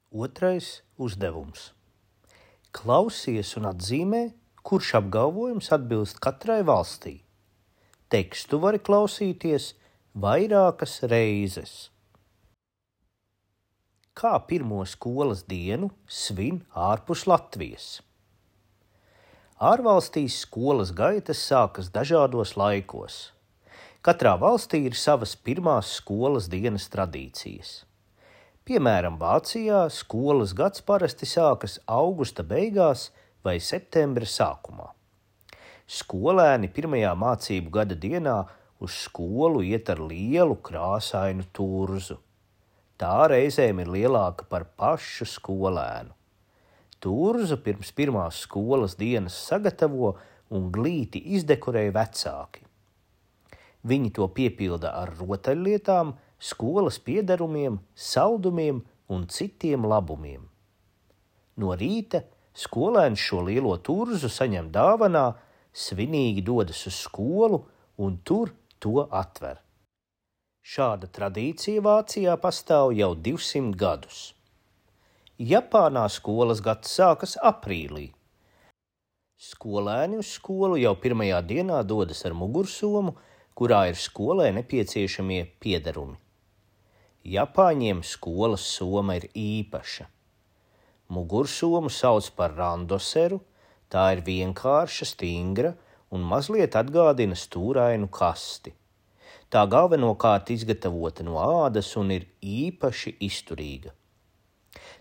Otrais uzdevums. Klausies un atzīmē, kurš apgalvojums atbilst katrai valstī. Tekstu vari klausīties vairākas reizes. Kā pirmo skolas dienu svin ārpus Latvijas? Ārvalstīs skolas gaitas sākas dažādos laikos. Katrā valstī ir savas pirmās skolas dienas tradīcijas. Piemēram, Vācijā skolas gads parasti sākas augusta beigās vai septembra sākumā. Skolēni pirmajā mācību gada dienā uz skolu iet ar lielu krāsainu turzu. Tā reizēm ir lielāka par pašu skolēnu. Turzu pirms pirmās skolas dienas sagatavo un glīti izdekorē vecāki. Viņi to piepilda ar rotaļlietām, skolas piederumiem, saldumiem un citiem labumiem. No rīta skolēns šo lielo turzu saņem dāvanā, svinīgi dodas uz skolu un tur to atver. Šāda tradīcija Vācijā pastāv jau 200 gadus. Japānā skolas gads sākas aprīlī. Skolēni uz skolu jau pirmajā dienā dodas ar mugursomu, kurā ir skolai nepieciešamie piederumi. Japāņiem skolas soma ir īpaša. Mugursomu sauc par randoseru, tā ir vienkārša, stingra un mazliet atgādina stūrainu kasti. Tā galvenokārt izgatavota no ādas un ir īpaši izturīga.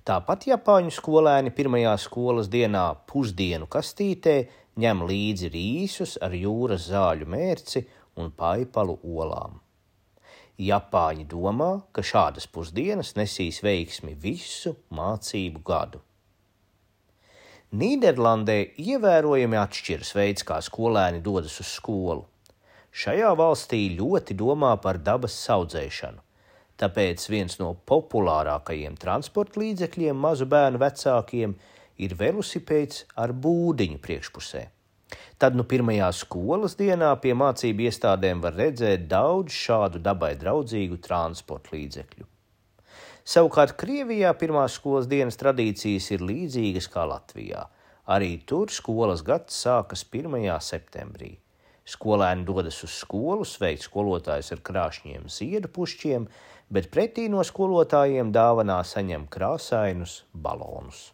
Tāpat japāņu skolēni pirmajā skolas dienā pusdienu kastītē ņem līdzi rīsus ar jūras zāļu mērci un paipalu olām. Japāņi domā, ka šādas pusdienas nesīs veiksmi visu mācību gadu. Nīderlandē ievērojami atšķiras veids, kā skolēni dodas uz skolu. Šajā valstī ļoti domā par dabas saudzēšanu, tāpēc viens no populārākajiem transporta līdzekļiem mazu bērnu vecākiem ir velosipēds ar būdiņu priekšpusē. Tad pirmajā skolas dienā pie mācību iestādēm var redzēt daudz šādu dabai draudzīgu transporta līdzekļu. Savukārt Krievijā pirmās skolas dienas tradīcijas ir līdzīgas kā Latvijā. Arī tur skolas gads sākas 1. septembrī. Skolēni dodas uz skolu sveikt skolotājus ar krāšņiem ziedu pušķiem, bet pretī no skolotājiem dāvanā saņem krāsainus balonus.